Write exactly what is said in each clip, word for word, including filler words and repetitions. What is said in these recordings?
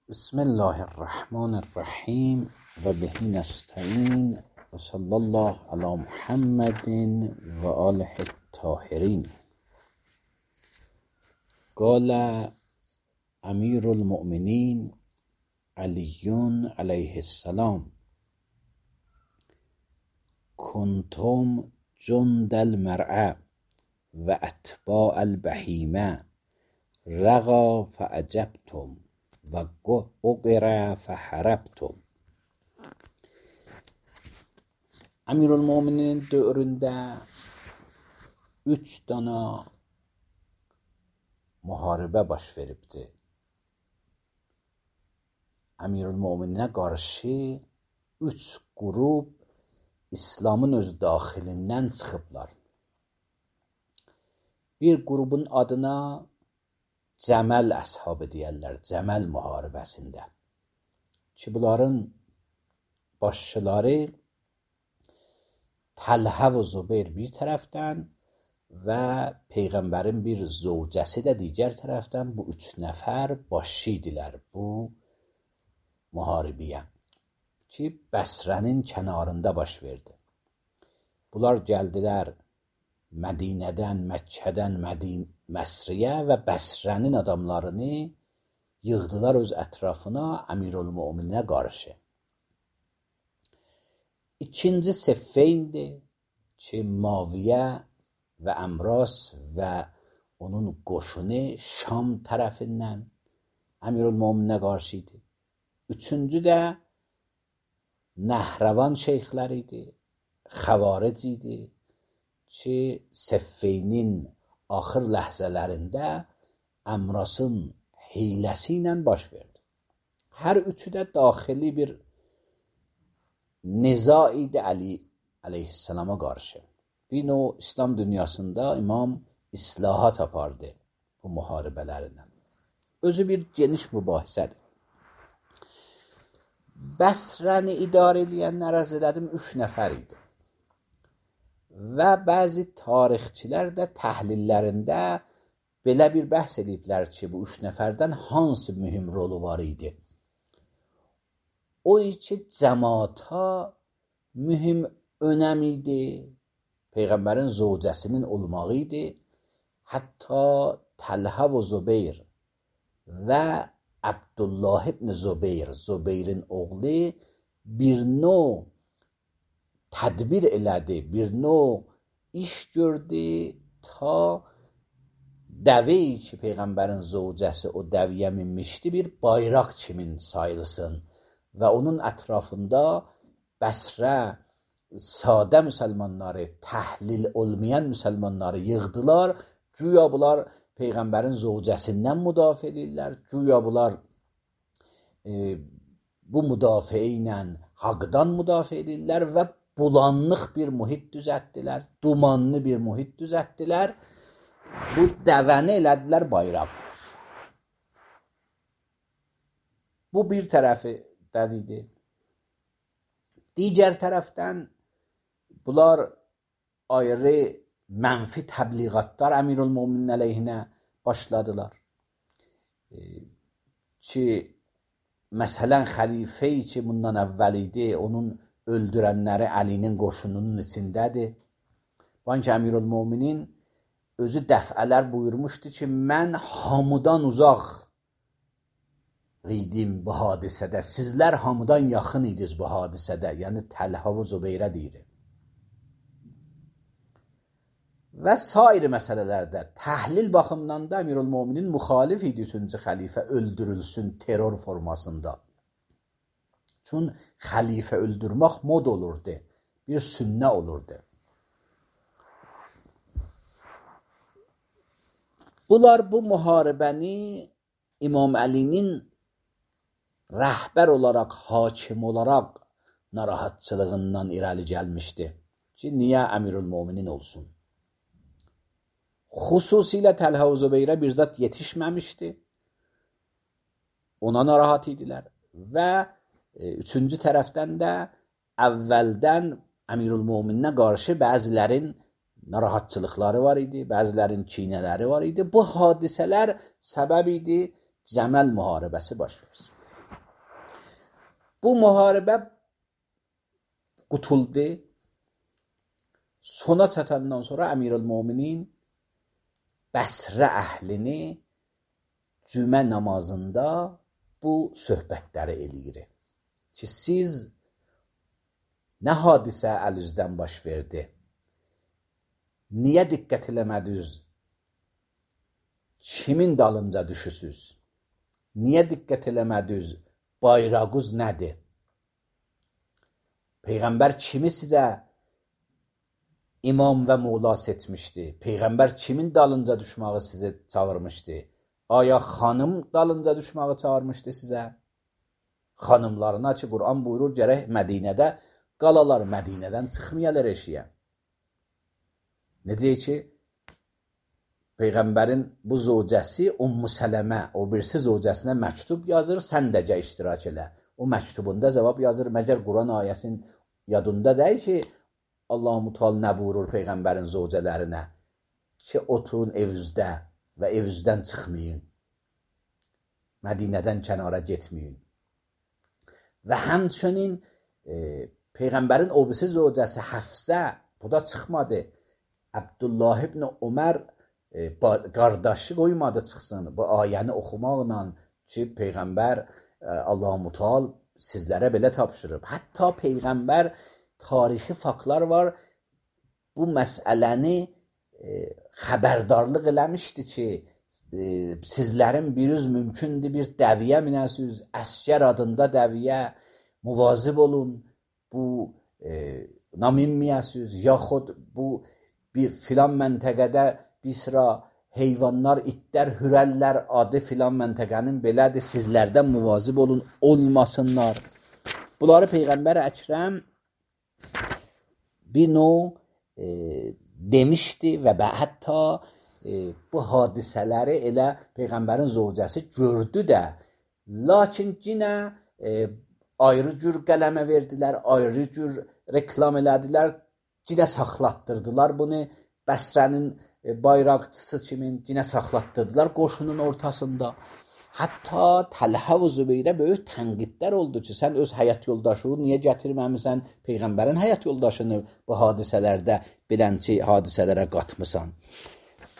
بسم الله الرحمن الرحیم و به نستعین و صلی الله علی محمد و آله الطاهرین. قال امیر المؤمنین علی علیه السلام: کنتم جند المرء و اتباع البهیمه، رغا فعجبتم و اقر فحربتم. Əmirülmöminin dövründə üç dana müharibə baş veribdi. Əmirülmömininə qarşı üç qrup İslamın öz daxilindən çıxıblar. Bir qrubun adına Cəməl əshabı deyərlər, Cəməl müharibəsində. Ki bunların başçıları Təlhə və Zübeyir bir tərəfdən və Peyğəmbərin bir zövcəsi də digər tərəfdən, bu üç nəfər başçı idilər bu müharibəyə ki Bəsrənin kənarında baş verdi. Bunlar gəldilər Mədinədən, Məkkədən Mədin Məsriyə və Bəsrənin adamlarını yığdılar öz ətrafına Əmirülmömininə qarşı. İkinci Seffeyndir ki Maviyə və Əmras və onun qoşunu Şam tərəfindən Əmirülmömininə qarşı idi. Üçüncü də Nəhrəvan şeyxləri idi, Xəvaric idi ki Seffeynin axır ləhzələrində Əmrasın hiyləsi ilə baş verdi. Hər üçü də daxili bir niza idi Əli əleyhissalama qarşı. Bir növ İslam dünyasında imam islahat apardı bu müharibələrindən. Özü bir geniş mübahisədir. Bəsrəni idarə edənlər ərz elədim üç nəfər idi. Və bəzi tarixçilər də təhlillərində belə bir bəhs ediblər ki, bu üç nəfərdən hansı mühüm rolu var idi? O ki, cəmaata mühüm önəm idi, Peyğəmbərin zövcəsinin olmağı idi. Hətta Təlhə və Zübeyir və Abdullah ibn Zübeyir, Zübeyrin oğlu bir növ tədbir elədi, bir növ iş gördü ta dəveyi ki Peyğəmbərin zövcəsi o dəviyə minmişdi bir bayraq kimin sayılsın və onun ətrafında Bəsrə sadə müsəlmanları, təhlil olmayan müsəlmanları yığdılar. Güya bunlar Peyğəmbərin zövcəsindən müdafiə edirlər, güya bunlar e, bu müdafiə ilə haqdan müdafiə edirlər və bulanlıq bir mühit düzəltdilər, dumanlı bir mühit düzəltdilər. Bu dəvəni elədilər bayraq. Bu bir tərəfindən idi. Digər tərəfdən bunlar ayrı mənfi təbliğatlar Əmirülmöminin əleyhinə başladılar. E, ki məsələn xəlifəyi ki bundan əvvəl idi, onun öldürənləri Əlinin qoşununun içindədir. Bankı Əmirülmöminin özü dəfələr buyurmuşdu ki, mən hamıdan uzaq idim bu hadisədə, sizlər hamıdan yaxın idiniz bu hadisədə, yəni Təlhə və Zübeyrə deyir. Və sair məsələlərdə təhlil baxımından da Əmirülmöminin müxalif idi üçüncü xəlifə öldürülsün terror formasında. Çün xəlifə öldürmək mod olurdu, bir sünnə olurdu. Bunlar bu müharibəni İmam Əlinin rəhbər olaraq, hakim olaraq narahatçılığından irəli gəlmişdi ki, niyə Əmirülmöminin olsun? Xüsusilə Təlhə və Zübeyrə bir zat yetişməmişdi, ona narahat idilər və üçüncü tərəfdən də əvvəldən Əmirülmömininə qarşı bəzilərin narahatçılıqları var idi, bəzilərin kinələri var idi. Bu hadisələr səbəb idi Cəməl müharibəsi baş versin. Bu müharibə qutuldu. Sona çatandan sonra Əmirül-Möminin Bəsrə əhlini cümə namazında bu söhbətləri eləyir ki, siz nə hadisə əl-üzdən baş verdi? Niyə diqqət eləmədiniz? Kimin dalınca düşüsüz? Niyə diqqət eləmədiniz? Bayrağınız nədir? Peyğəmbər kimi sizə imam və mola seçmişdi? Peyğəmbər kimin dalınca düşməyi sizi çağırmışdı? Aya xanım dalınca düşməyi çağırmışdı sizə? Xanımlarına ki, Quran buyurur, gərək Mədinədə qalalar, Mədinədən çıxmayalar eşiyə. Necə ki, Peyğəmbərin bu zövcəsi Ummu Sələmə, o birisi zövcəsinə məktub yazır, sən də gəl iştirak elə. O məktubunda cavab yazır, məgər Quran ayəsinin yadında deyil ki, Allah-u Teala nə buyurur Peyğəmbərin zövcələrinə? Ki, oturun evizdə və evizdən çıxmayın. Mədinədən kənara getməyin. Və həmçinin e, Peyğəmbərin o birisi zövcəsi Həfsə, bu da çıxmadı. Abdullah ibn Ömər e, qardaşı qoymadı çıxsın. Bu ayəni oxumaqla ki, Peyğəmbər e, Allah-u Teala sizlərə belə tapşırıb. Hətta Peyğəmbər tarixi faktlar var. Bu məsələni e, xəbərdarlıq eləmişdi ki, e, sizlərin biriniz mümkündür bir dəviyə minəsiniz, əskər adında dəviyə, muvazib olun, bu e, naminməyəsiniz, yaxud bu bir filan məntəqədə bir sıra heyvanlar, itlər, hürəllər adı filan məntəqənin belədir, sizlərdən muvazib olun, olmasınlar. Bunları Peyğəmbər Əkrəm bir növ e, demişdi və hətta e, bu hadisələri elə Peyğəmbərin zövcəsi gördü də, lakin yenə e, ayrı cür qələmə verdilər, ayrı cür reklam elədilər, yenə saxlatdırdılar bunu, Bəsrənin e, bayraqçısı kimin, yenə saxlatdırdılar qoşunun ortasında. Hətta Təlhə və Zübeyrə böyük tənqidlər oldu ki, sən öz həyat yoldaşını niyə gətirməmisən, Peyğəmbərin həyat yoldaşını bu hadisələrdə bilənçi hadisələrə qatmısan.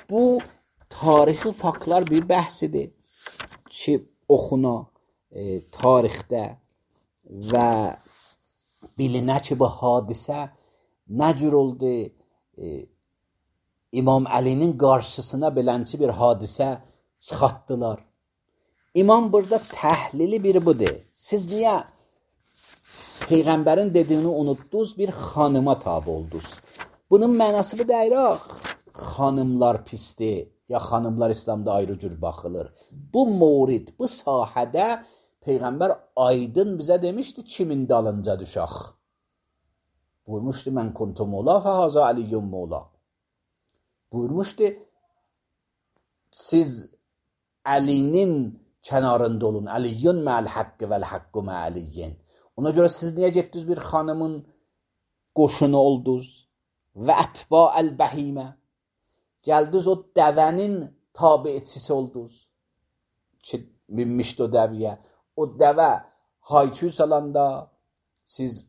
Bu tarixi faktlar bir bəhsidir ki, oxuna e, tarixdə və bilinə ki, bu hadisə nə cür oldu, e, İmam Əlinin qarşısına bilənçi bir hadisə çıxartdılar. İmam burada təhlili biri budur. Siz niyə Peyğəmbərin dediyini unutdunuz, bir xanıma tabi oldunuz? Bunun mənası bu deyil, xanımlar pisdir, ya xanımlar İslamda ayrı cür baxılır. Bu mövrid, bu sahədə Peyğəmbər aydın bizə demişdi, kimin dalınca düşək. Buyurmuşdu, mən kuntu mola fəhazə əliyyum mola. Buyurmuşdu, siz Əlinin kənarında olun. Əliyyun mə'əl haqqı vəl haqqu mə'əliyyin. Ona görə siz niyə getdiniz bir xanımın qoşunu oldunuz? Və ətba əl-bəhimə. Gəldiniz o dəvənin tabiçisi oldunuz. Ki, binmişdi o dəviyə. O dəvə hayküy salanda siz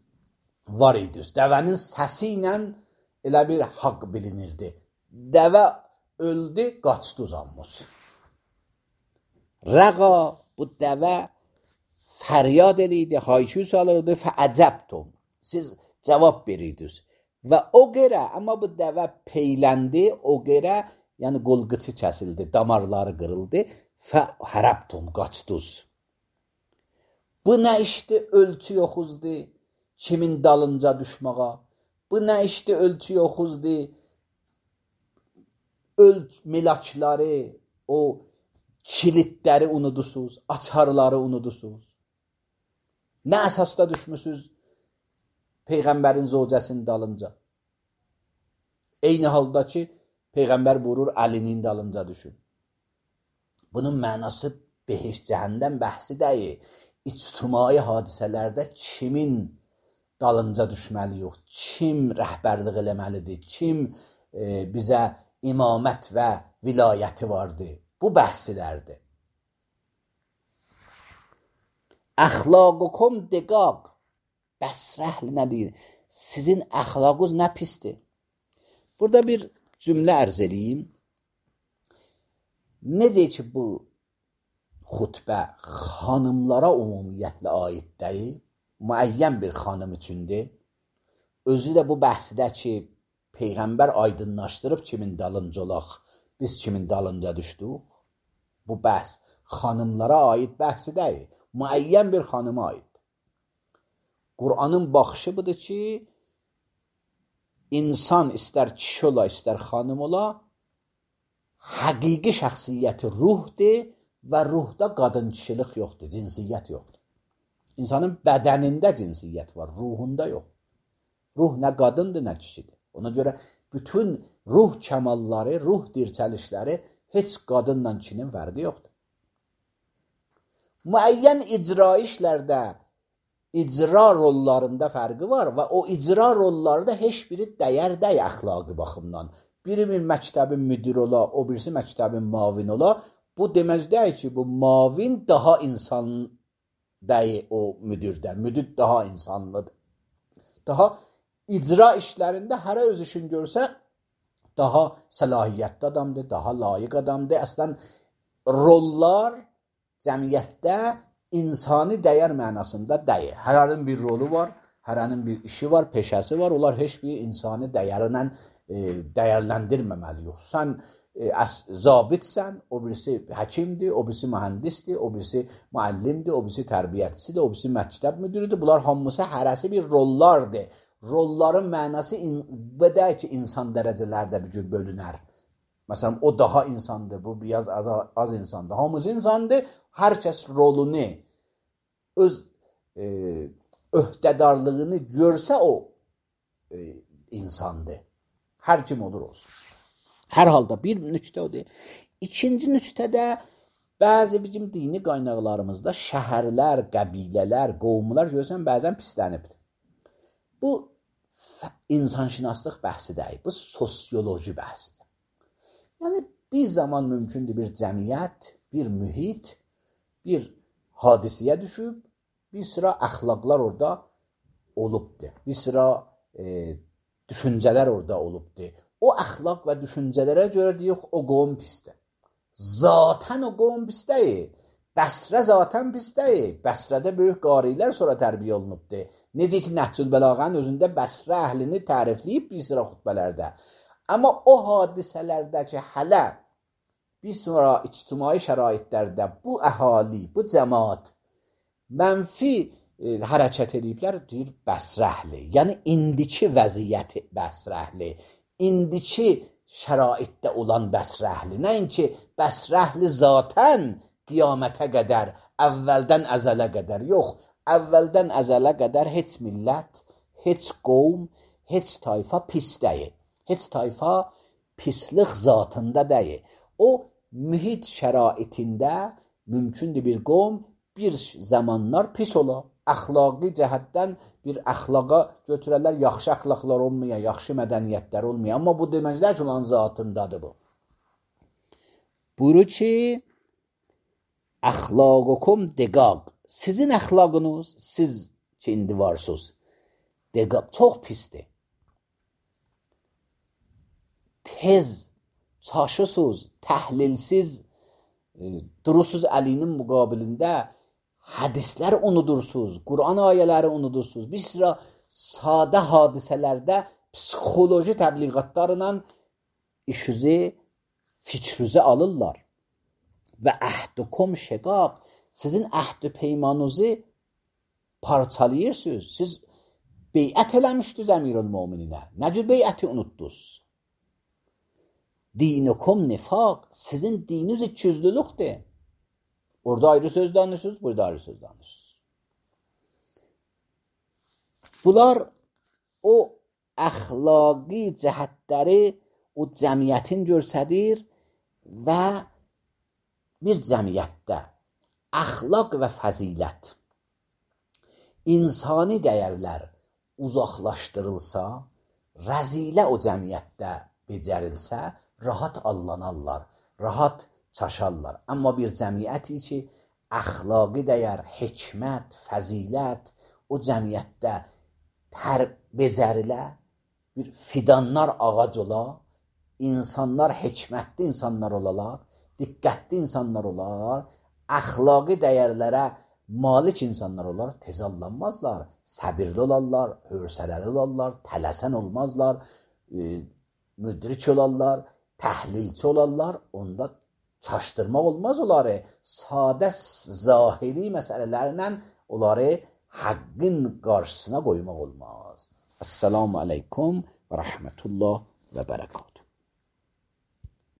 var idiniz. Dəvənin səsi ilə elə bir haqq bilinirdi. Dəvə öldü, qaçdı uzanmış. Rəqa, bu dəvə fəryad edirdi, hayküy salırdı, fəəcəbtum. Siz cavab verirdiniz. Və o qərə, amma bu dəvə peyləndi, o qərə, yəni qolqıçı kəsildi, damarları qırıldı, fəhərəbtum, qaçdınız. Bu nə işdir, ölçü yoxuzdur, kimin dalınca düşməğa? Bu nə işdir, ölçü yoxuzdur, ölç milakları, o kilitləri unudusuz, açarları unudusuz. Nə əsasda düşmüsünüz Peyğəmbərin zövcəsinin dalınca? Eyni halda ki, Peyğəmbər buyurur, Əlinin dalınca düşün. Bunun mənası behiş cəhənnəm bəhsi deyil. İctimai hadisələrdə kimin dalınca düşməli yox, kim rəhbərlik eləməlidir, kim e, bizə imamət və vilayəti vardır. Bu bəhsilərdir. Əxlaqukum diqaq. Bəsrəhl nə deyir? Sizin əxlaqınız nə pisdir? Burada bir cümlə ərz edeyim. Necə ki bu xutbə xanımlara ümumiyyətlə aid deyil, müəyyən bir xanım üçündür. Özü də bu bəhsdə ki, Peyğəmbər aydınlaşdırıb kimin dalınca olaq, biz kimin dalınca düşdük. Bu bəhs xanımlara aid bəhsi deyil, müəyyən bir xanıma aid. Qur'anın baxışı budur ki, insan istər kişi ola, istər xanım ola, həqiqi şəxsiyyəti ruhdur və ruhda qadın kişilik yoxdur, cinsiyyət yoxdur. İnsanın bədənində cinsiyyət var, ruhunda yox. Ruh nə qadındır, nə kişidir. Ona görə bütün ruh kəmalları, ruh dirçəlişləri heç qadınla kişinin fərqi yoxdur. Müəyyən icra işlərdə, icra rollarında fərqi var və o icra rolları da heç biri dəyər dəy əxlaqi baxımdan. Biri bir məktəbin müdiri ola, o birisi məktəbin mavin ola. Bu demək deyil ki, bu mavin daha insan dəyi o müdirdən. Müdir daha insanlıdır. Daha icra işlərində hərə öz işini görsə, daha səlahiyyətli adamdır, daha layiq adamdır. Əslən, rollar cəmiyyətdə insani dəyər mənasında deyil. Hərənin bir rolu var, hərənin bir işi var, peşəsi var. Onlar heç bir insani dəyərlə e, dəyərləndirməməliyik. Sən e, zabitsən, o birisi həkimdir, o birisi mühəndisdir, o birisi müəllimdir, o birisi tərbiyyətçisidir, o birisi məktəb müdürüdür. Bunlar hamısı hərəsi bir rollardır. Rolların mənası bədə ki, insan dərəcələrdə bir cür bölünər. Məsələn, o daha insandır, bu biraz az, az insandır. Hamısı insandır, hər kəs rolunu, öz e, öhdədarlığını görsə o e, insandır. Hər kim olur olsun. Hər halda bir nüqtə odur. İkinci nüqtədə bəzi bizim dini qaynaqlarımızda şəhərlər, qəbilələr, qovumlar görsən bəzən pislənibdir. Bu insanşünaslıq bəhsi deyil, bu sosioloji bəhsidir. Yəni, bir zaman mümkündür bir cəmiyyət, bir mühit, bir hadisiyə düşüb, bir sıra əxlaqlar orada olubdur. Bir sıra e, düşüncələr orada olubdur. O əxlaq və düşüncələrə görə deyək, o qovum pisdir. Zatən o qovum pis deyil. Bəsrə zatən pis deyil. Bəsrədə böyük qarilər sonra tərbiyə olunubdur. Necə ki, Nəhcül Bəlağənin özündə Bəsrə əhlini tərifləyib bir sıra xutbələrdə. Amma o hadisələrdə ki, hələ bir sonra ictimai şəraitlərdə bu əhali, bu cəmaat mənfi e, hərəkət ediblər, deyir Bəsrə əhli. Yəni, indiki vəziyyəti Bəsrə əhli, indiki şəraitdə olan Bəsrə əhli. Nəinki Bəsrə əhli zatən qiyamətə qədər, əvvəldən əzələ qədər. Yox, əvvəldən əzələ qədər heç millət, heç qovm, heç tayfa pis deyil. Heç tayfa pislik zatında deyil. O, mühit şəraitində mümkündür bir qovm bir zamanlar pis ola. Əxlaqi cəhətdən bir əxlaqa götürərlər, yaxşı əxlaqlar olmayan, yaxşı mədəniyyətlər olmayan. Amma bu deməclər ki, olan zatındadır bu. Buyurur ki, əxlaqukum diqaq. Sizin əxlaqınız, siz ki, indi varsınız, diqaq, çox pisdir. Tez, çaşısız, təhlilsiz e, durursunuz əlinin müqabilində, hədislər unudursuz, Qur'an ayələri unudursuz. Bir sıra sadə hadisələrdə psixoloji təbliğatlarla işinizi, fikrinizi alırlar. Və əhdukum şəqaq, sizin əhd-i peymanınızı parçalayırsınız. Siz beyət eləmişdiniz əmirül-mömininə. Nə cür beyəti unutdunuz? Dinukum nifaq, sizin dininiz ikiyüzlülükdür. Orada ayrı söz danışırsınız, burada ayrı söz danışırsınız. Bunlar o əxlaqi cəhətləri o cəmiyyətin görsədir və bir cəmiyyətdə əxlaq və fəzilət, insani dəyərlər uzaqlaşdırılsa, rəzilə o cəmiyyətdə becərilsə, rahat allanarlar, rahat çaşarlar. Amma bir cəmiyyəti ki, əxlaqi dəyər, hikmət, fəzilət o cəmiyyətdə tər becərilə bir fidanlar ağac ola, insanlar hikmətli insanlar olalar, diqqətli insanlar olar, əxlaqi dəyərlərə malik insanlar olar, tez allanmazlar, səbirli olarlar, hövsələli olarlar, tələsən olmazlar, e, müdrik olarlar, təhlilçi olarlar, onda çaşdırmaq olmaz onları, sadə zahiri məsələlərlə onları haqqın qarşısına qoymaq olmaz. Esselamu aleykum və rəhmətullah və bərəkət.